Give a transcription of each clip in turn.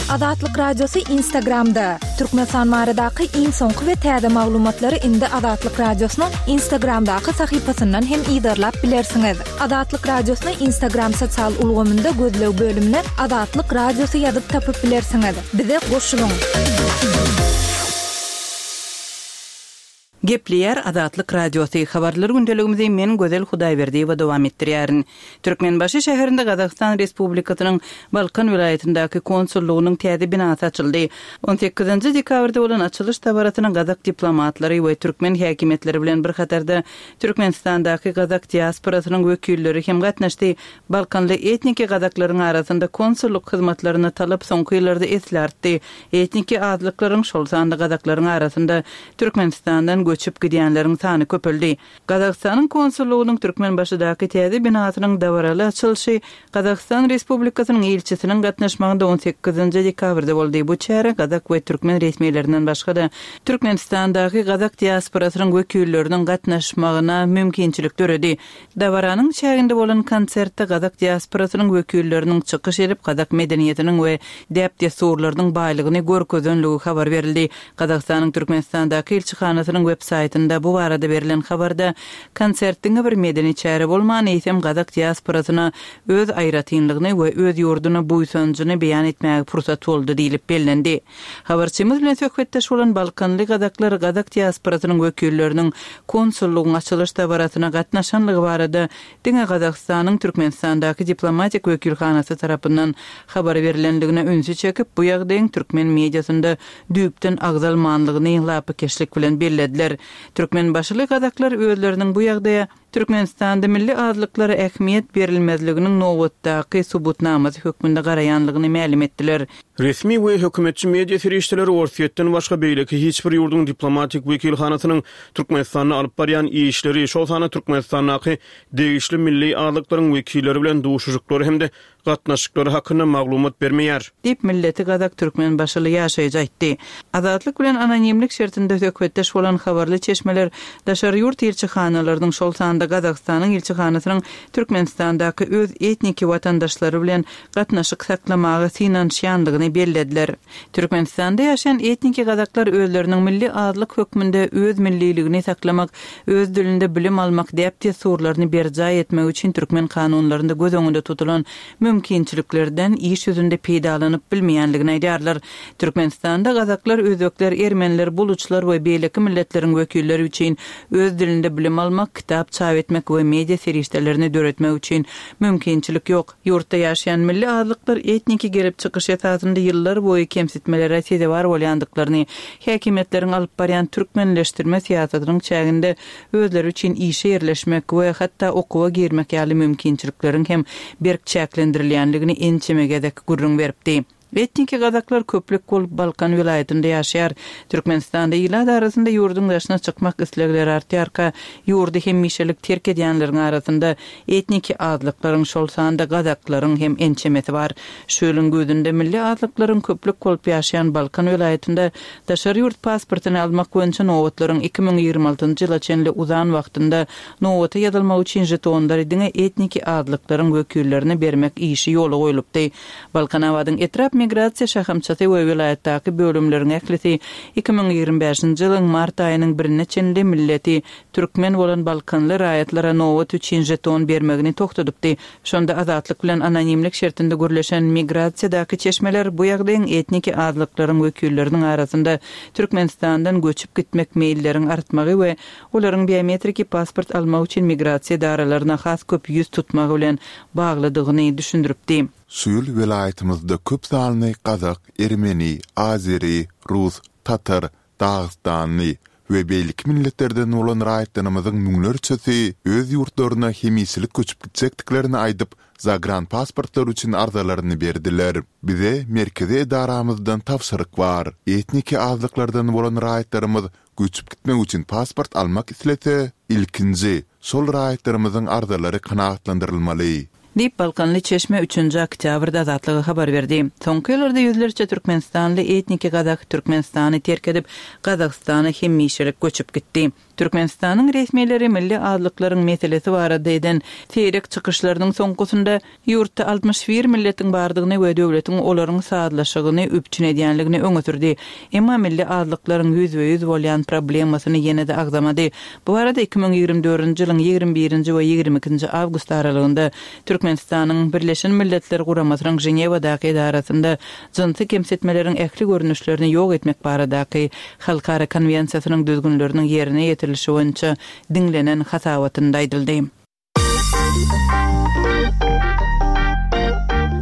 Azatlyk Radiosy Instagramda! Türkmenistan baradaky iň soňky we täze maglumatlary indi Azatlyk Radiosynyň Instagramdaky sahypasyndan hem yzarlap bilersiňiz. Azatlyk Radiosyny Instagram sosial ulgamynda gözleg bölümine Azatlyk Radiosy ýazyp tapyp bilersiňiz. Bize goşulyň! Gepleýär Azatlyk Radiosy, Habarlar gündeligimizi men Gözel Hudaýberdiýewa dowam etdirýärin. Türkmenbaşy şäherinde Gazagystan Respublikasynyň Balkan welaýatyndaky konsullygynyň täze binasy açyldy. On sekizinji dekabrda bolan açylyş dabarasyna gazak diplomatlary we türkmen häkimiýetleri bilen bir hatarda Türkmenistandaky gazak diasporasynyň wekilleri hem gatnaşdy. Balkanly etniki gazaklaryň arasynda konsullyk hyzmatlaryna talap soňky ýyllarda esli artdy. Etniki azlyklaryň, şol sanda gazaklaryň arasynda Türkmenistandan göçüp gidýänleriň sany köpeldi. Gazagystanyň konsullygynyň Türkmenbaşydaky täze binasynyň dabaraly açylyşy Gazagystan Respublikasynyň ilçisiniň gatnaşmagynda on sekizinji dekabrda boldy. Bu çärä gazak we türkmen resmilerinden başga-da, Türkmenistandaky gazak diasporasynyň wekilleriniň gatnaşmagyna mümkinçilik döredi. Dabaranyň çäginde bolan konsertde gazak diasporasynyň wekilleriniň çykyş edip, gazak medeniýetiniň we däp-dessurlarynyň baýlygyny görkezenligi habar berildi. Gazagystanyň Türkmenistandaky ilçihanasynyň web saýtynda bu barada berlen habarda, konsert diňe bir medeni çäre bolman, eýsem gazak diasporasyna öz aýratynlygyny we öz ýurduna buýsanjyny beýan etmäge pursat boldy diýlip bellendi. Habarçymyz bilen söhbetdeş bolan balkanly gazaklar gazak diasporasynyň wekilleriniň konsullygyň açylyş dabarasyna gatnaşanlygy barada diňe Gazagystanyň Türkmenistandaky diplomatik wekilhanasy tarapyndan habar berlendigine ünsi çekip, bu ýagdaýyň türkmen mediasynda düýpden agzalmanlygyny lapykeçlik bilen bellediler. Türkmenbaşyly gazaklar özleriniň bu ýagdaýa Türkmenistanda milli azlyklara ähmiýet berilmezliginiň nobatdaky subutnamasy hökmünde garaýanlygyny mälim etdiler. Resmi we hökümetçi media serişdeleri Orsýetden başga beýleki hiç bir ýurduň diplomatik wekilhanasynyň Türkmenistanda alyp barýan işleri, şol sanda Türkmenistandaky degişli milli azlyklaryň wekilleri bilen duşuşyklary hem-de gatnaşyklary hakynda maglumat bermeýär. Diýip, milleti gazak türkmenbaşyly ýaşaýjy aýtdy. Azatlyk bilen anonimlik şertinde söhbetdeş bolan habarly çeşmeler daşary ýurt ilçihanalarynyň, şol sanda Gazagystanyň ilçihanasynyň Türkmenistandaky öz etniki watandaşlary bilen gatnaşyk saklamaga synanyşýandygyny bellediler. Türkmenistanda ýaşaýan etniki gazaklar özleriniň milli azlyk hökmünde öz milliligini saklamak, öz dilinde bilim almak däp-dessurlaryny berjaý etmek üçin türkmen kanunlarynda göz öňünde tutulan mümkinçiliklerden iş ýüzünde peýdalanyp bilmeýändigini aýdýarlar. Türkmenistanda gazaklar, özbekler, ermeniler, buluçlar we beýleki milletleriň wekilleri üçin öz dilinde bilim almak, kitap çap etmek we media serişdelerini döretmek üçin mümkinçilik ýok. Ýurtda ýaşaýan milli azlyklar etniki gelip çykyş esasynda ýyllar boýy kemsitmelere sezewar bolýandyklaryny, häkimiýetleriň alyp barýan türkmenleşdirme syýasatynyň çäginde özleri üçin işe ýerleşmek we hatda okuwa girmek ýaly mümkinçilikleriň hem berk çäklendirilýändigini ençeme gezek gürrüň beripdi. Etniki gazaklar köplük bolup Balkan welaýatynda ýaşaýar. Türkmenistanda ilat arasynda ýurduň daşyna çykmak islegleri artýarka, ýurdy hemişelik terk edýänleriň arasynda etniki azlyklaryň, şol sanda gazaklaryň hem ençemesi bar. Şu ýylyň güýzünde milli azlyklaryň köplük bolup ýaşaýan Balkan welaýatynda daşary ýurt pasportyny almak boýunça nobatlaryň 2026-njy ýyla çenli uzan wagtynda nobata ýazylmak üçin žetonlary diňe etniki azlyklaryň wekillerine bermek işi ýola goýlupdy. Balkanabadyň etrap migrasiýa şahamçasy we welaýatdaky bölümleriň ählisi 2025-nji ýylyň mart aýynyň birine çenli milleti türkmen bolan balkanly raýatlara nobat üçin žeton bermegini togtadypdy. Şonda Azatlyk bilen anonimlik şertinde gürleşen migrasiýadaky çeşmeler bu ýagdaýyň etniki azlyklaryň wekilleriniň arasynda Türkmenistandan göçüp gitmek meýilleriň artmagy we olaryň biometriki pasport almak üçin migrasiýa edaralaryna has köp ýüz tutmagy bilen baglydygyny düşündiripdi. Şu ýyl welaýatymyzda köp sanly gazak, ermeni, azeri, rus, tatar, dagystanly we beýleki milletlerden bolan raýatlarymyzyň müňlerçesi öz ýurtlaryna hemişelik göçüp gitjekdiklerini aýdyp, zagranpasportlar üçin arzalaryny berdiler. Bize merkezi edaramyzdan tabşyryk bar. Etniki azlyklardan bolan raýatlarymyz Göçüp gitmek üçin pasport almak islese, ilkinji, şol raýatlarymyzyň arzalary kanagatlandyrylmaly. Diýip, balkanly çeşme üçünji oktýabrda Azatlyga habar berdi. Soňky ýyllarda ýüzlerçe türkmenistanly etniki gazak Türkmenistany terk edip, Gazagystana hemişelik göçüp gitdi. Türkmenistanyň resmileri milli azlyklaryň meselesi barada eden seýrek çykyşlarynyň soňkusynda ýurtda 61 milletiň bardygyny we döwletiň olaryň sazlaşygyny üpjün edýänligini öňe sürdi. Emma milli azlyklaryň ýüzbe-ýüz bolýan problemasyny ýene-de agzamady. Bu barada 2024-nji ýylyň 21-nji we 22-nji awgust aralygynda Türkmenistanyň Birleşen Milletler Guramasynyň Ženewadaky edarasynda jynsy kemsitmeleriň ähli görnüşlerini ýok etmek baradaky Halkara konwensiýasynyň düzgünleriniň ýerine ýetirilişi boýunça diňlenen hasabatynda aýdyldy.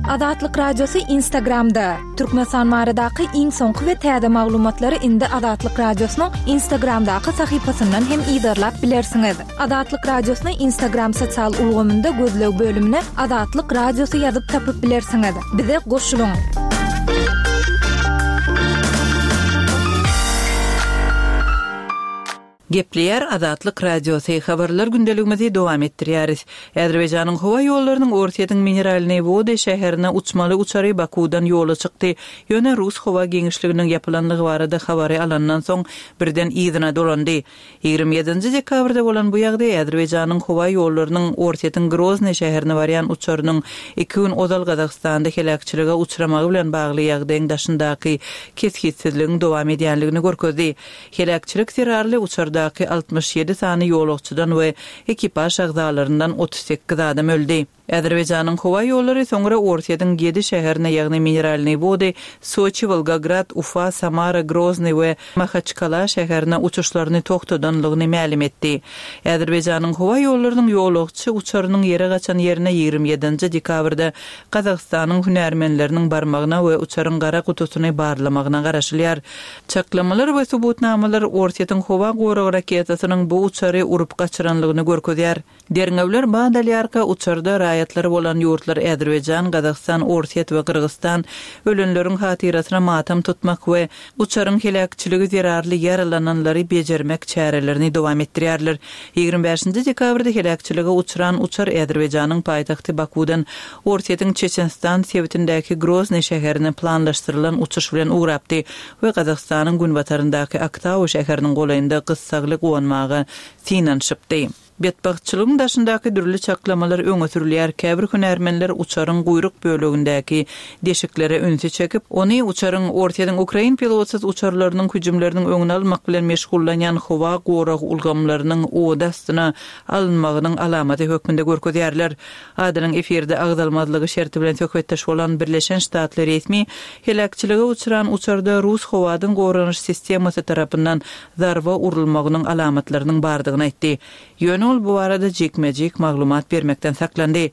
Azatlyk Radiosy Instagramda, Türkmenistan baradaky iň soňky we täze maglumatlary indi Azatlyk Radiosynyň Instagramdaky sahypasyndan hem yzarlap bilersiňiz. Azatlyk Radiosyny Instagram sosial ulgamynda gözleg bölümine Azatlyk Radiosy ýazyp tapyp bilersiňiz. Bize goşulyň! Gepleýär Azatlyk Radiosy, Habarlar gündeligimizi dowam etdirýäris. Azerbaýjanyň howa ýollarynyň Orsýetiň Mineralnyý Wody şäherine uçmaly uçary Bakuwdan ýola çykdy. Ýöne rus howa giňişliginiň ýapylandygy barada habary alandan soň birden yzyna dolandy. 27-nji dekabrda bolan bu ýagdaý Azerbaýjanyň howa ýollarynyň Orsýetiň Groznyý şäherine barýan uçarynyň iki gün ozal Gazagystanda heläkçilige uçramagy bilen bagly ýagdaýyň daşyndaky kesgitsizligiň dowam edýänligini görkezdi. Heläkçilik zerarly uçardaky 67 sany ýolagçydan we ekipaž agzalaryndan 38 adam öldi. Azerbaýjanyň howa ýollary soňra Orsýetiň ýedi şäherine, ýagny Mineralnyý Wody, Soçi, Wolgograd, Ufa, Samara, Groznyý we Mahaçkala şäherine uçuşlaryny togtadanlygyny mälim etdi. Azerbaýjanyň howa ýollarynyň ýolagçy uçarynyň ýere gaçan ýerine 27-nji dekabrda Gazagystanyň hünärmenleriniň barmagyna we uçaryň gara gutusyny barlamagyna garaşylýar. Çaklamalar we subutnamalar Orsýetiň howa gorag raketasynyň bu uçary urup gaçyranlygyny görkezýär. Derňewler bat alýarka, uçarda raýatlary bolan ýurtlar Azerbaýjan, Gazagystan, Orsýet we Gyrgyzystan ölenleriň hatyrasyna matam tutmak we uçaryň heläkçiligi zerarly ýaralananlary bejermek çärelerini dowam etdirýärler. 25-nji dekabrda heläkçilige uçran uçar Azerbaýjanyň paýtagty Bakuwdan Orsýetiň Çeçenistan sebitindäki Groznyý şäherine planlaşdyrylan uçuş bilen ugrapdy we Gazagystanyň günbataryndaky Aktau şäheriniň golaýynda gyssagly gonmaga synanyşypdy. Betbagtçylygyň daşyndaky dürli çaklamalar öňe sürülýär, käbir hünärmenler uçaryň guýruk bölegindäki deşiklere ünsi çekip, ony uçaryň Orsýetiň ukrain pilotsyz uçarlarynyň hüjümleriniň öňüni almak bilen meşgullanýan howa gorag ulgamlarynyň ody astyna alynmagynyň alamaty hökmünde görkezýärler. Adynyň efirde agzalmazlygy şerti bilen söhbetdeş bolan Birleşen Ştatly resmi heläkçilige uçran uçarda rus howadan goranyş sistemasy tarapyndan zarba urulmagynyň alamatlarynyň bardygyny aýtdy. Ýöne ol bu barada jikme-jik maglumat bermekden saklandy.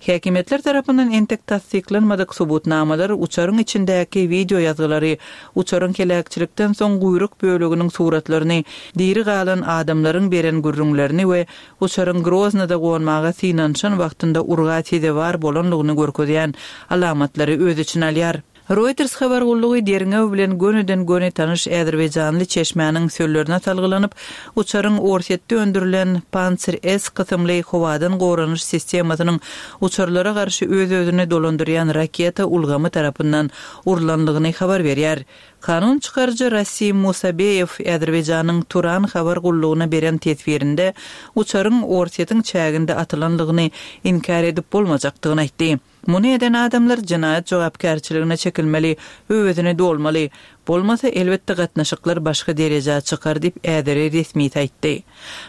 Häkimiýetler tarapyndan entek tassyklanmadyk subutnamalar uçaryň içindäki wideo ýazgylary, uçaryň heläkçilikden soň guýruk böleginiň suratlaryny, diri galan adamlaryň beren gürrüňlerini we uçaryň Groznyda gonmaga synanyşan wagtynda urga sezewar bolanlygyny görkezýän alamatlary öz içine alýar. Reuters habar gullugy derňew bilen gönüden-göni tanyş azerbaýjanly çeşmäniň sözlerine salgylanyp, uçaryň Orsýetde öndürilen Pantsir-S kysymly howadan goranyş sistemasynyň uçarlara garşy öz-özüni dolandyrýan raketa ulgamy tarapyndan urlanlygyny habar berýär. Kanun çykaryjy Rasim Musabeýew Azerbaýjanyň Turan habar gullugyna beren teswirinde uçaryň Orsýetiň çäginde atylanlygyny inkär edip bolmajakdygyny aýtdy. Muny eden adamlar jenaýat jogapkärçiligine çekilmeli, öwezini dolmaly. Bolmasa, elbetde gatnaşyklar başga derejä çykar diýip, äzeri resmisi aýtdy.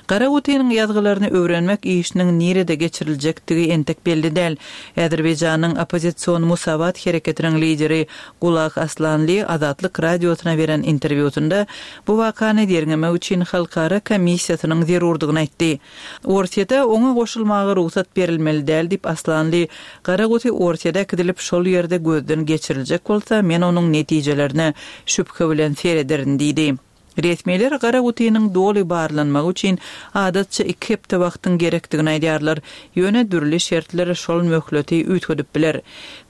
Gara gutynyň ýazgylaryny öwrenmek işiniň nirede geçiriljekdigi entek belli däl. Azerbaýjanyň oppozision Musawat hereketiniň lideri Gulag Aslanli Azatlyk Radiosyna beren interwýusynda bu wakany derňemek üçin halkara komissiýasynyň zerurdygyny aýtdy. Orsýete oňa goşulmaga rugsat berilmeli däl diýip Aslanly, Gara guty Orsýede äkidilip şol ýerde gözden geçiriljek bolsa men onuň netijelerine şübhe bilen serederin diýdi. Resmiler gara gutynyň doly barlanmagy üçin adatça iki hepde wagtyň gerekdigini aýdýarlar, ýöne dürli şertler şol möhleti üýtgedip biler.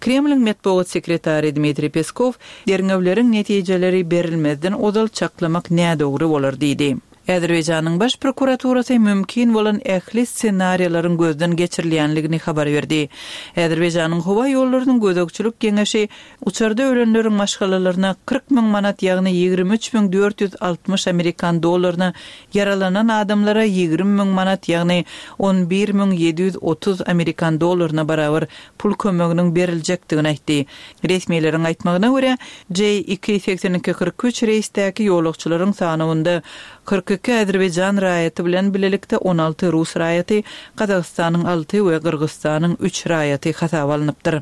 Kremliň metbugat sekretary Dmitriý Peskow, Derňewleriň netijeleri berilmezden ozal çaklamak nädogry bolar diýdi. Azerbaýjanyň Baş prokuraturasy mümkin bolan ähli ssenariýalaryň gözden geçirilýänligini habar berdi. Azerbaýjanyň Howa ýollarynyň gözegçilik geňeşi uçarda ölenleriň maşgalalaryna 40 müň manat, ýagny 23 460 amerikan dollaryna, ýaralanan adamlara 20 müň manat, ýagny 11 730 amerikan dollaryna barabar pul kömeginiň beriljekdigini aýtdy. Resmileriň aýtmagyna görä, J iki 82 43 reýsdäki ýolagçylaryň sanawynda 42 azerbaýjan raýaty bilen bilelikde 16 rus raýaty, Gazagystanyň alty we Gyrgyzystanyň üç raýaty hasaba alnypdyr.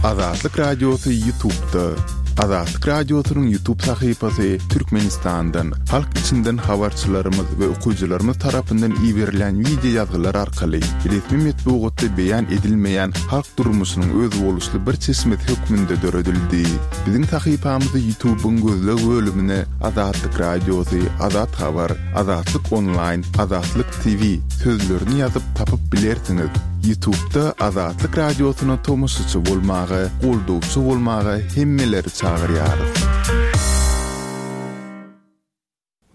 Azatlyk Radiosy YouTube'da. Azatlyk Radiosynyň YouTube sahypasy Türkmenistandan, halk içinden habarçylarymyz we okyjylarymyz tarapyndan iberilýän wideo ýazgylar arkaly resmi metbugatda beýan edilmeýän halk durmuşynyň özboluşly bir çeşmesi hökmünde döredildi. Biziň sahypamyzy YouTube-yň gözleg bölümine Azatlyk Radiosy, Azat Habar, Azatlyk Onlaýn, Azatlyk TV sözlerini ýazyp tapyp bilersiňiz. Ýutubda Azatlyk Radiosyna tomaşaçy bolmaga, goldawçy bolmaga hemmeleri çagyrýarys.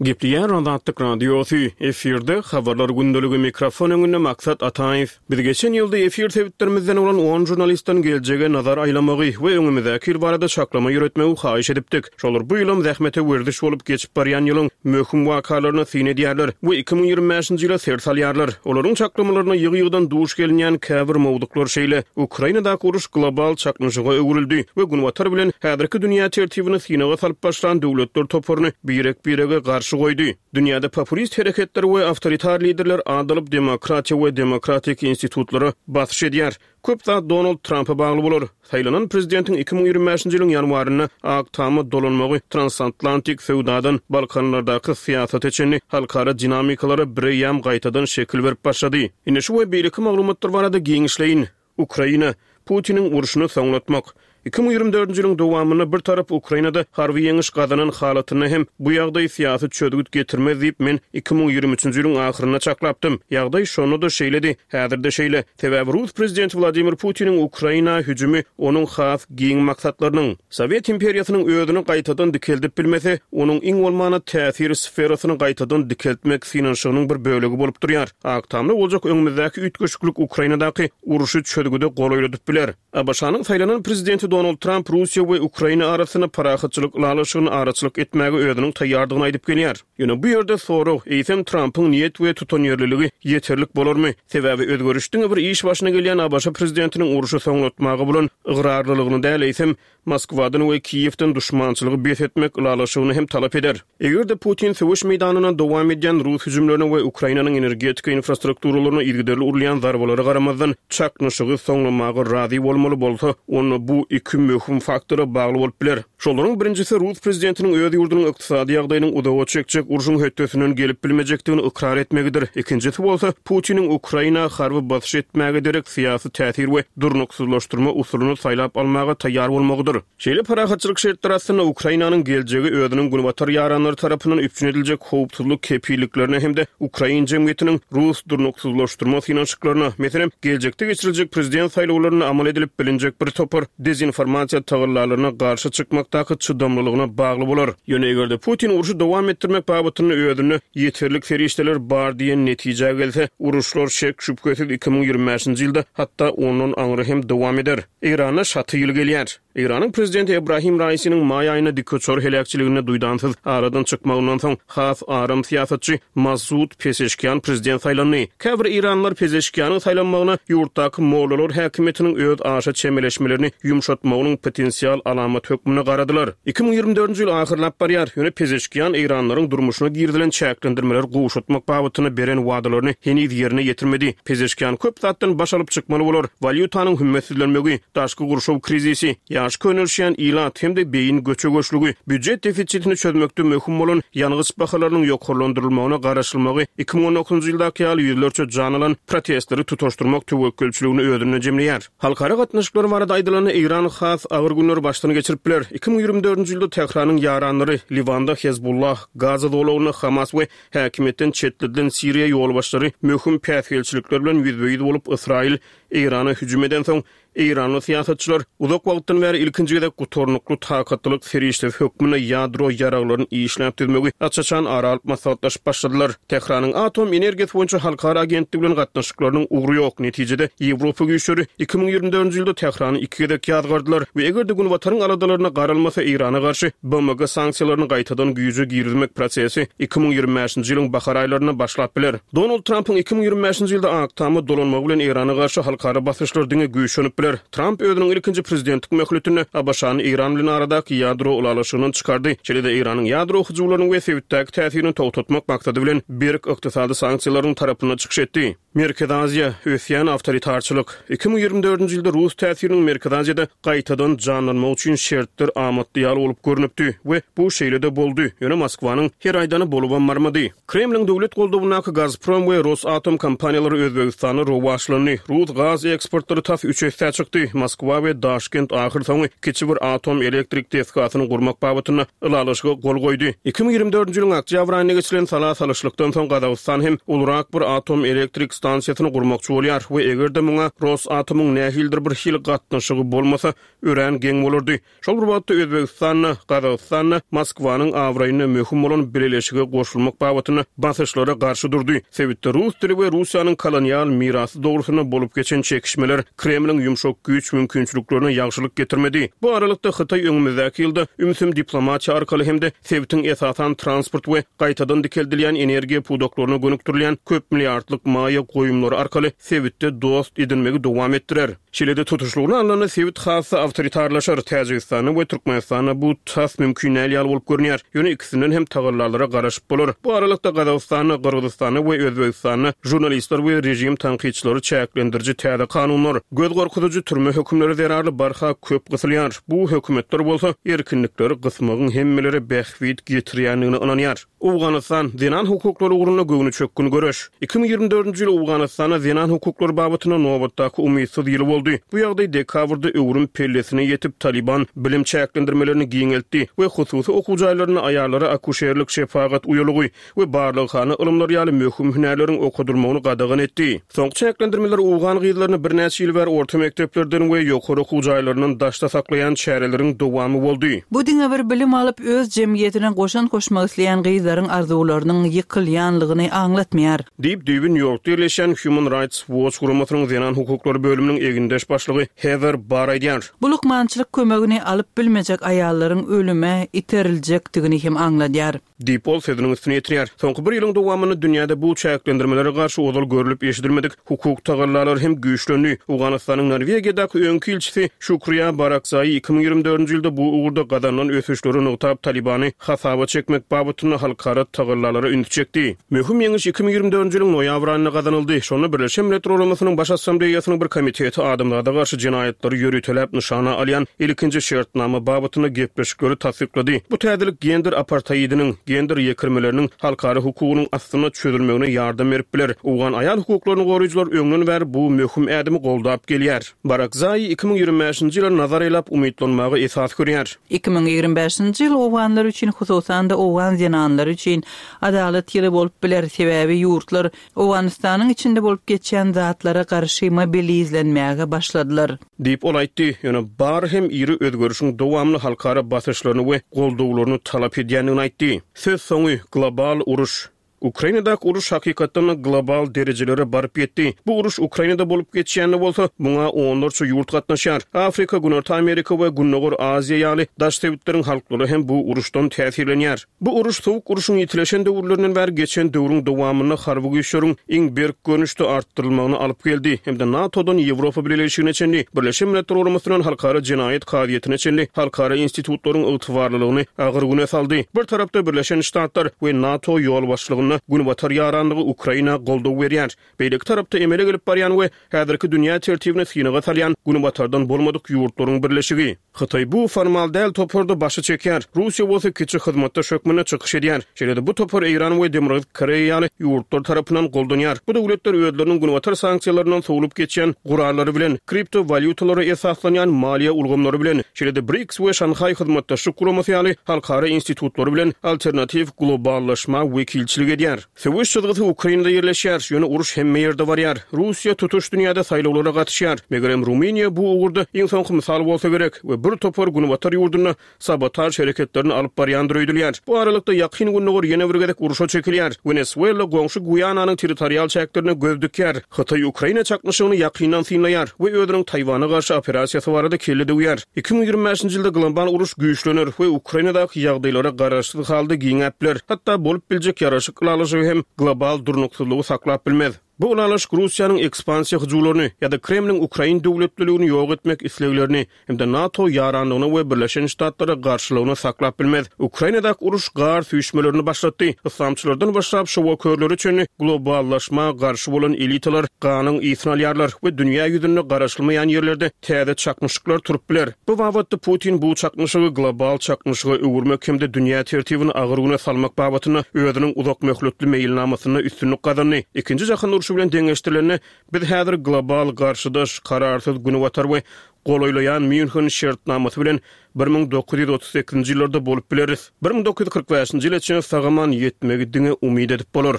Gepleýär Azatlyk Radiosy, efirde Habarlar gündeligi, mikrofon öňünde Maksat Ataýew. Biz geçen ýylda efir sebitlerimizden bolan on žurnalistden geljege nazar aýlamagy we öňümizdäki ýyl barada çaklama ýöretmegi haýyş edipdik. Şolar bu ýylam zähmete werziş bolup geçip barýan ýylyň möhüm wakalaryna syn edýärler we 2025-nji ýyla ser salýarlar. Olaryň çaklamalaryna ýygy-ýygydan duş gelinýän käbir mowzuklar şeýle, Ukrainadaky uruş global çaknyşyga öwrüldi we Günbatar bilen häzirki dünýä tertibini synaga salyp başlan döwletler toparyny birek-birege garşy goýdy. Dünýäde populist hereketler we awtoritar liderler adalyp demokratiýa we demokratik institutlara basyş edýär. Köp zat Donald Trampa bagly bolar. Saýlanan prezidentiň 2025-nji ýylyň ýanwarynda Ak Tama dolanmagy transatlantik söwdadan Balkanlardaky syýasata çenli halkara dinamikalara bireýýäm gaýtadan şekil berip başlady. Ine şu we beýleki maglumatlar barada giňişleýin. Ukraina, Putiniň urşuny soňlatmak. 2024-nji ýylyň dowamynda bir tarap Ukrainada harby ýeňiş gazanan halatynda hem bu ýagdaý syýasy çözgüt getirmez diýip, men 2023-nji ýylyň ahyrynda çaklapdym. Ýagdaý şonda-da şeýledi, häzir-de şeýle. Sebäbi rus prezidenti Wladimir Putiniň Ukraina hüjümi onuň has giň maksatlarynyň, Sowet imperiýasynyň özüni gaýtadan dikeldip bilmese, onuň iň bolmanda täsir sferasyny gaýtadan dikeltmek synanyşygynyň bir bölegi bolup durýar. Ak Tamda boljak öňümizdäki üýtgeşiklik Ukrainadaky urşy çözgüde golaýladyp biler. ABŞ-nyň saýlanan prezidenti Donald Tramp Russiýa we Ukraina arasynda parahatçylyk ylalaşygyna araçylyk etmäge özüniň taýýardygyny aýdyp gelýär. Ýöne bu ýerde sorag, eýsem Trampyň niýet we tutanýerliligi ýeterlik bolarmy? Sebäbi özgeriş diňe bir iş başyna gelýän ABŞ prezidentiniň urşy soňlatmaga bolan ygrarlylygyny däl, eýsem, Moskwadan we Kiýewden duşmançylygy bes etmek ylalaşygyny hem talap eder. Eger-de Putin söweş meýdanynda dowam edýän rus hüjümlerine we Ukrainanyň energetika infrastrukturalaryna yzygiderli urulýan zarbalara garamazdan, çaknyşygy soňlamaga razy bolmaly bolsa, onda bu iki möhüm faktora bagly bolup biler. Şolaryň birinjisi rus prezidentiniň öz ýurdunyň ykdysady ýagdaýynyň uzaga çekjek urşuň hötdesinden gelip bilmejekdigini ykrar etmegidir. Ikinjisi bolsa, Putiniň Ukraina harby basyş etmäge derek syýasy täsir we durnuksyzlaşdyrma usulyny saýlap almaga taýýar bolmagydyr. Şeýle parahatçylyk şertleri astynda Ukrainanyň geljegi özüniň günbatar ýaranlary tarapyndan üpjün ediljek howpsuzlyk kepilliklerine hem-de ukrain jemgyýetiniň rus durnuksyzlaşdyrma synanyşyklaryna, meselem, geljekde geçiriljek prezident saýlawlarynda amal edilip bilinjek bir topar dezinformasiýa tagallalaryna garşy çykmakdaky çydamlylygyna bagly bolar. Ýöne eger-de Putin urşy dowam etdirmek babatynda özünde ýeterlik serişdeler bar diýen netijä gelse, uruşlar şek-şübhesiz 2025-nji ýylda, hatda ondan aňry hem dowam eder. Eýranda şaty ýyl gelýär. Eýranyň prezidenti Ebrahim Raisiniň maý aýynda dikuçar heläkçiliginde duýdansyz aradan çykmagyndan soň, has aram syýasatçy Masud Pezeşkian prezident saýlandy. Käbir eýranlylar Pezeşkianyň saýlanmagyna ýurtdaky mollalar häkimiýetiniň öz aşa çemeleşmelerini ýumşatmagynyň potensial alamaty hökmünde garadylar. 2024-nji ýyl ahyrlap barýar, ýöne Pezeşkian eýranlylaryň durmuşyna girizilen çäklendirmeleri gowşatmak babatynda beren wadalaryny heniz ýerine ýetirmedi. Pezeşkian köp zatdan baş alyp çykmaly bolar, walýutanyň hümmetsizlenmegi, daşky gurşaw krizisi, ýaş könelişýän ilat hem-de beýin göçe-göçlügi, býujet defisitini çözmekde möhüm bolan ýangyç bahalarynyň ýokarlandyrylmagyna garaşylmagy 2019-njy ýyldaky ýaly ýüzlerçe jan alan protestleri tutaşdyrmak töwekgelçiligini özünde jemleýär. Halkara gatnaşyklary barada aýdylanda, Eýran has agyr günleri başdan geçirip biler. 2024-nji ýylda Tähranyň ýaranlary, Liwanda Hezbollah, Gaza zolagynda Hamas we häkimiýetden çetledilen Siriýa ýolbaşçylary möhüm päsgelçilikler bilen ýüzbe-ýüz bolup, Ysraýyl. Eýrana hüjüm edensoň, Eýranly syýasatçylar uzak wagtdan bäri ilkinji gezek gutarnykly takatlylyk serişdesi hökmünde ýadro ýaraglaryny işläp düzmegi aç-açan ara alyp maslahatlaşyp başladylar. Tähranyň Atom energiýasy boýunça halkara agentligi bilen gatnaşyklarynyň ugry ýok. Netijede, Ýewropa güýçleri 2024-nji ýylda Tährany iki gezek ýazgardylar we eger-de Günbataryň aladalaryna garalmasa, Eýrana garşy BMG sanksiýalaryny gaýtadan güýje girizmek prosesi 2025-nji ýylyň bahar aýlarynda başlap biler. Donald Trampyň 2025-nji ýylda Ak Tama dolanmagy bilen Eýrana garşy halkara basyşlar diňe güýçlenip biler. Tramp özüniň ilkinji prezidentlik möhletinde ABŞ-ny Eýran bilen aradaky ýadro ylalaşygyndan çykardy, şeýle-de Eýranyň ýadro hyjuwlaryny we sebitdäki täsirini togtatmak maksady bilen berk ykdysady sanksiýalaryň tarapynda çykyş etdi. Merkezi Aziýa, ösýän awtoritarçylyk. 2024-nji ýylda rus täsiriniň Merkezi Aziýada gaýtadan janlanmagy üçin şertler amatly ýaly bolup görnüpdi we bu şeýle-de boldy, ýöne Moskwanyň her aýdany bolubam barmady. Kremliň döwlet goldawyndaky Gazprom we Rosatom kompaniýalary Özbegistanda rowaçlandy. Rus gaz eksportlary tas üç essä çykdy. Moskwa we Daşkent ahyrsoňy kiçi bir atom elektrik desgasyny gurmak babatynda ylalaşyga gol goýdy. 2024-nji ýylyň oktýabr aýynda geçirilen sala salyşlykdan soň Gazagystan hem ulurak bir atom elektrik stansiýasyny gurmakçy bolýar we eger-de muňa Rosatomyň nähilidir bir hili gatnaşygy bolmasa, örän geň bolardy. Şol bir wagtda Özbegistan-da, Gazagystan-da Moskwanyň abraýyna möhüm bolan bileleşige goşulmak babatynda basyşlara garşy durdy. Sebitde rus dili we Russiýanyň kolonial mirasy dogrusynda bolup geçen çekişmeler Kremliň ýumşak güýç mümkinçiliklerine ýagşylyk getirmedi. Bu aralykda Hytaý öňümizdäki ýylda ümsüm diplomatiýa arkaly hem-de sebitiň esasan transport we gaýtadan dikeldilýän energiýa pudaklaryna gönükdirilýän köp milliardlyk maýa goýumlary arkaly sebitde dost edinmegi dowam etdirer. Şeýle-de tutuşlygyna alnanda sebit has-da awtoritarlaşar. Täjigistanda we Türkmenistanda bu tas mümkin däl ýaly bolup görünýär. Ýöne ikisinden hem tagallalara garaşyp bolar. Bu aralykda Gazagystanda, Gyrgyzystanda we Özbegistanda žurnalistler we režim tankytçylary çäklendiriji täze kanunlar, göz gorkuzyjy türme hökümleri zerarly barha köp gysylýar. Bu hökümetler bolsa erkinlikleri gysmagyň hemmelere bähbit getirýändigine ynanýar. Owganystan, zenan hukuklary ugrunda göwnüçökgün göreş. 2024-nji ýyl Owganystanda zenan hukuklary babatynda nobatdaky umytsyz ýyly boldy. Bu ýagdaý dekabrda öwrüm pellesine ýetip, Talyban bilim çäklendirmelerini giňeltdi we hususy okuw jaýlarynda aýallara akuşerlik, şepagat uýalygy we barlaghana ylymlary ýaly möhüm hünärleriň okadylmagyny gadagan etdi. Soňky çäklendirmeler owgan gyzlaryny birnäçe ýyl bäri orta mekdeplerden we ýokary okuw jaýlaryndan daşda saklaýan çäreleriň dowamy boldy. Bu diňe bir bilim alyp, öz jemgyýetine goşant goşmak isleýän gyzlaryň arzuwlarynyň ýykylýanlygyny aňlatmaýar. Diýip, düýbi Nýu-Ýorkda ýerleşýän Human Rights Watch guramasynyň zenan hukuklary bölüminiň egindeş başlygy Heather Barr aýdýar. Bu lukmançylyk kömegini alyp bilmejek aýallaryň ölüme iteриljekdigini hem aňladýar. Diýip, ol sözüniň üstüni ýetirýär. Soňky bir ýylyň dowamynda dünýäde bu çäklendirmelere garşy ozal görlüp-eşidilmedik hukuk tagallalary hem güýçlendi. Owganystanyň Norwegiýadaky öňki ilçisi Şukriýa Barakzaýy 2024-nji ýylda bu ugurda gazanylan ösüşleri nygtap, Talybany hasaba çekmek babatynda halkara tagallalara ünsi çekdi. Möhüm ýeňiş 2024-nji ýylyň noýabr aýynda gazanyldy. Şonda Birleşen Milletler Guramasynyň Baş Assambleýasynyň bir komiteti adamzada garşy jenaýatlary ýöriteläp nyşana alýan ilkinji şertnama babatynda gepleşikleri tassyklady. Bu täzelik gender aparteidiniň, gender ýekirmeleriniň halkara hukugynyň astynda çözülmegine ýardam berip biler. Owgan aýal hukuklaryny goraýjylar öňden bäri bu möhüm ädimi goldap gelýär. Barakzaýi 2025-nji ýyla nazar aýlap umytlanmaga esas görýär. 2025-nji ýyl owganlar üçin, hususan-da owgan zenanlary üçin adalat ýyly bolup biler, sebäbi ýurtlar Owganystanyň içinde bolup geçýän zatlara garşy mobilizlenmäge başladylar. Diýip, ol aýtdy. Ýöne Barr hem iri özgerişiň dowamly halkara basyşlaryny we goldawlaryny talap edýändigini aýtdy. Sözsoňy, Global uruş. Ukrainadaky uruş hakykatdan-da global derejelere baryp ýetdi. Bu uruş Ukrainada bolup geçýän-de bolsa, muňa onlarça ýurt gatnaşýar. Afrika, Günorta Amerika we Gündogar Aziýa ýaly daş sebitleriň halklary hem bu uruşdan täsirlenýär. Bu uruş Sowuk urşuň ýitileşen döwürlerinden bäri geçen döwrüň dowamynda harby güýçleriň iň berk görnüşde artdyrylmagyna alyp geldi hem-de NATO-dan Ýewropa Bileleşigine çenli, Birleşen Milletler Guramasyndan Halkara Jenaýat Kazyýetine çenli halkara institutlaryň ygtybarlylygyny agyr güne saldy. Bir tarapda Birleşen Ştatlar we NATO ýolbaşçylygynda Günbatar ýaranlygy Ukraina goldaw berýär. Beýleki tarapda emele gelip barýan we häzirki dünýä tertibini synaga salýan Günbatardan bolmadyk ýurtlaryň birleşigi. Hytaý bu formal däl toparda başy çekýär, Russiýa bolsa kiçi hyzmatdaş hökmünde çykyş edýär. Şeýle-de bu topar Eýran we Demirgazyk Koreýa ýaly ýurtlar tarapyndan goldanýar. Bu döwletler özleriniň Günbatar sanksiýalaryndan sowlup geçýän gurallary bilen, kripto walýutalara esaslanýan maliýe ulgamlary bilen, şeýle-de BRICS we Şanhaý Hyzmatdaşlyk Guramasy ýaly halkara institutlary bilen alternatiw globallaşma wekilçilik edýär. edýär. Söweş çyzgysy Ukrainada ýerleşýär, ýöne uruş hemme ýerde barýar. Russiýa tutuş dünýäde saýlawlara gatyşýar. Megerem Rumyniýa bu ugurda iň soňky mysal bolsa gerek we bir topar günbatar ýurdunda sabotaž hereketlerini alyp barýandyr öýdülýär. Bu aralykda Ýakyn Gündogar ýene bir gezek urşa çekilýär. Wenesuela goňşy Guýananyň territorial çäklerine göz dikýär. Hytaý Ukraina çaknyşygyny ýakyndan synlaýar we özüniň Taýwana garşy operasiýasy barada kelle döwýär. 2025-nji ýylda global uruş güýçlener we Ukrainadaky ýagdaýlara garaşsyz halda giňäp biler. Hatda bolup biljek ýaraşyk ylalaşygy hem global durnuksyzlygy saklap bilmez. Bu ylalaşyk Russiýanyň ekspansiýa hyjuwlaryny ýa-da Kremliň ukrain döwletliligini ýok etmek isleglerini hem-de NATO ýaranlygyna we Birleşen Ştatlara garşylygyny saklap bilmez. Ukrainadaky uruş gar süýşmelerini başlatdy. Yslamçylardan başlap şowakörlere çenli globallaşma garşy bolan elitalar ganyň ysyny alýarlar we dünýä ýüzünde garaşylmaýan ýerlerde täze çaknyşyklar turup biler. Bu babatda Putin bu çaknyşygy global çaknyşyga öwürmek hem-de dünýä tertibini agyr güne salmak babatynda özüniň uzakmöhletli meýilnamasynda üstünlik gazandy. Ikinji jahan urşy bilen deňeşdirilende, biz häzir global garşydaş, kararsyz Günbatar we golaýlaýan Mýunhen şertnamasy bilen 1938-nji ýyllarda bolup bileris. 1945-nji ýyla çenli sag-aman ýetmegi diňe umyt edip bolar.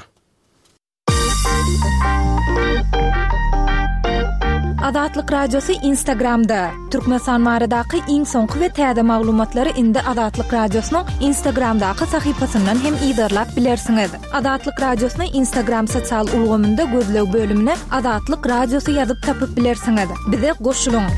Azatlyk Radiosy Instagramda, Türkmenistan baradaky iň soňky we täze maglumatlary indi Azatlyk Radiosynyň Instagramdaky sahypasyndan hem yzarlap bilersiňiz. Azatlyk Radiosyny Instagram sosial ulgamynda gözleg bölümine Azatlyk Radiosy ýazyp tapyp bilersiňiz. Bize goşulyň!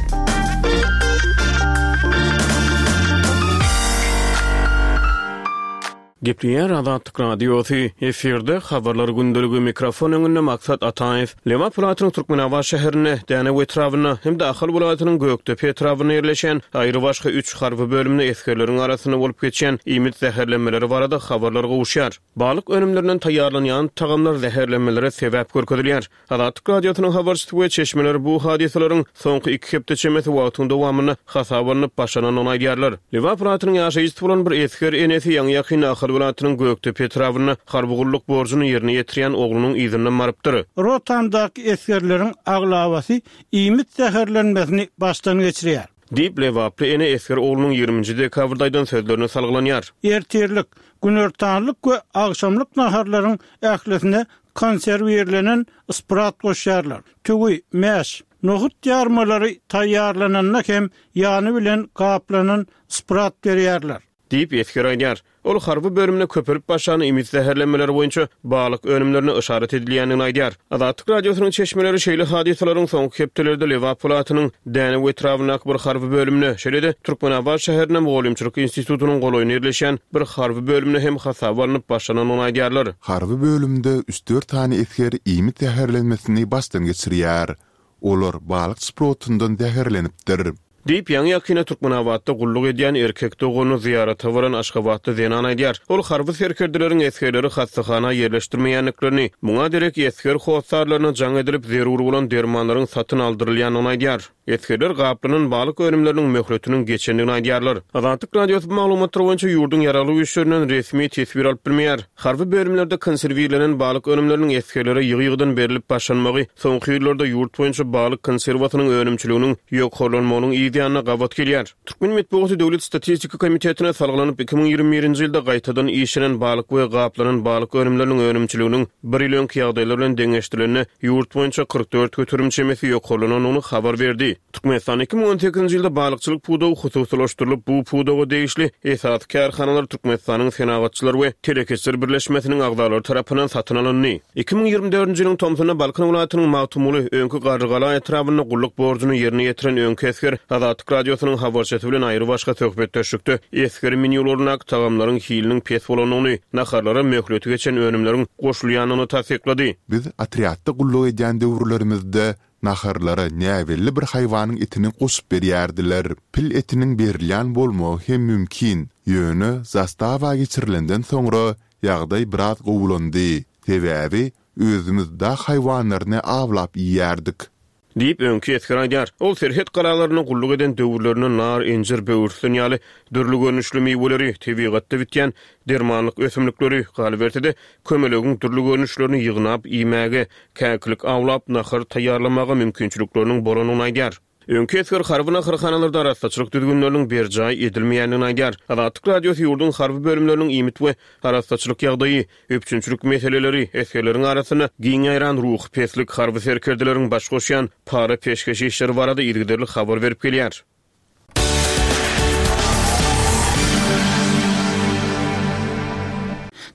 Gepleýär Azatlyk Radiosy, efirde Habarlar gündeligi, mikrofon öňünde Maksat Ataýew. Lebap welaýatynyň Türkmenabat şäherinde, Dänew etrabynda hem-de Ahal welaýatynyň Gökdepe etrabynda ýerleşýän aýrybaşga üç harby bölümde esgerleriň arasynda bolup geçýän iýmit zäherlenmeleri barada habarlar gowuşýar. Balyk önümlerinden taýýarlanýan tagamlar zäherlenmelere sebäp görkezilýär. Azatlyk Radiosynyň habarçysy we çeşmeleri bu hadysalaryň soňky iki hepde çemesi wagtyň dowamynda hasaba alnyp başlanandygyny aýdýarlar. Lebap welaýatynyň ýaşaýjysy bolan bir esger enesi ýaňy-ýakynda Ahal welaýatynyň Gökdepe etrabynda harby gulluk borjuny ýerine ýetirýän oglunyň yzyndan barypdyr. Rotamdaky esgerleriň aglabasy iýmit zäherlenmesini başdan geçirýär. Diýip, lebaply ene esger oglunyň ýigriminji dekabrda aýdan sözlerine salgylanýar. Ertirlik, günortanlyk we agşamlyk naharlaryň ählisine konserwirlenen sprat goşýarlar. Tüwi, mäş, nohut ýarmalary taýýarlananda hem ýany bilen gaplanan sprat berýärler. Diýip, esger aýdýar. Ol harby bölümde köpelip başlan iýmit zäherlenmeleri boýunça balyk önümlerine yşarat edilýändigini aýdýar. Azatlyk Radiosynyň çeşmeleri şeýle hadysalaryň soňky hepdelerde Lebap welaýatynyň Dänew etrabyndaky bir harby bölümde, şeýle-de Türkmenabat şäherinde Mugallymçylyk institutynyň golaýynda ýerleşýän bir harby bölümde hem hasaba alnyp başlanandygyny aýdýarlar. Harby bölümde üç-dört sany esger iýmit zäherlenmesini başdan geçirýär. Olar balyk şprotyndan zäherlenipdir. Diýip, ýaňy-ýakynda Türkmenabatda gulluk edýän erkek doganyny zyýarata baran aşgabatly zenan aýdýar. Ol harby serkerdeleriň esgerleri hassahana ýerleşdirmeýändiklerini, muňa derek esger hossarlaryna jaň edilip, zerur bolan dermanlaryň satyn aldyrylýandygyny aýdýar. Esgerler gaplanan balyk önümleriniň möhletiniň geçendigini aýdýarlar. Azatlyk Radiosy bu maglumatlar boýunça ýurduň Ýaragly Güýçlerinden resmi teswir alyp bilmeýär. Harby bölümlerde konserwirlenen balyk önümleriniň esgerlere ýygy-ýygydan berlip başlanmagy soňky ýyllarda ýurt boýunça balyk konserwasynyň önümçiliginiň ýokarlanmagynyň yz ýanyna gabat gelýär. Türkmen metbugaty Döwlet statistika komitetine salgylanyp, 2021-nji ýylda gaýtadan işlenen balyk we gaplanan balyk önümleriniň önümçiliginiň bir ýyl öňki ýagdaýlar bilen deňeşdirilende, ýurt boýunça 44% çemesi ýokarlanandygyny habar berdi. Türkmenistanda 2018-nji ýylda balykçylyk pudagy hususylaşdyrylyp, bu pudaga degişli esasy kärhanalar Türkmenistanyň Senagatçylar we telekeçiler birleşmesiniň agzalary tarapyndan satyn alyndy. 2024-nji ýylyň tomsunda Balkan welaýatynyň Magtymguly, öňki Garrygala etrabynda gulluk borjuny ýerine ýetiren öňki esger Azatlyk Radiosynyň habarçysy bilen aýrybaşga söhbetdeşlikde esger menýularyndaky tagamlaryň hiliniň pes bolandygyny, naharlara möhleti geçen önümleriň goşulýandygyny tassyklady. Biz otrýadda gulluk edýän döwürlerimizde Naharlara näbelli bir haýwanyň etini goşup berýärdiler. Pil etiniň berilýän bolmagy hem mümkin. Ýöne zastawa geçirilenden soňra ýagdaý biraz gowulandy. Sebäbi özümiz dag haýwanlaryny awlap iýýärdik. Diýip, öňki esger aýdýar. Ol serhet galalarynda gulluk eden döwürlerinde nar, injir, böwürslen ýaly dürli görnüşli miweleri, tebigatda bitýän dermanlyk ösümlikleri, galyberse-de, kömelegiň dürli görnüşlerini ýygnap iýmäge, käkilik awlap, nahar taýýarlamaga mümkinçilikleriniň bolandygyny aýdýar. Öňki esger harby naharhanalarda arassaçylyk düzgünleriniň berjaý edilmeýändigini aýdýar. Azatlyk Radiosy ýurduň harby bölümleriniň iýmit we arassaçylyk ýagdaýy, üpjünçilik meseleleri, esgerleriň arasynda giň ýaýran ruhy peslik, harby serkerdeleriň baş goşýan para-peşgeş işleri barada yzygiderli habar berip gelýär.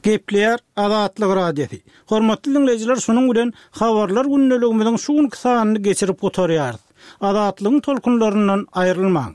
Gepleýär Azatlyk Radiosy. Hormatly diňleýjiler şunuň bilen Habarlar gündeligimiziň şu günki sanyny geçirip gutarýarys. Azatlygyň tolkunlaryndan aýrylmaň.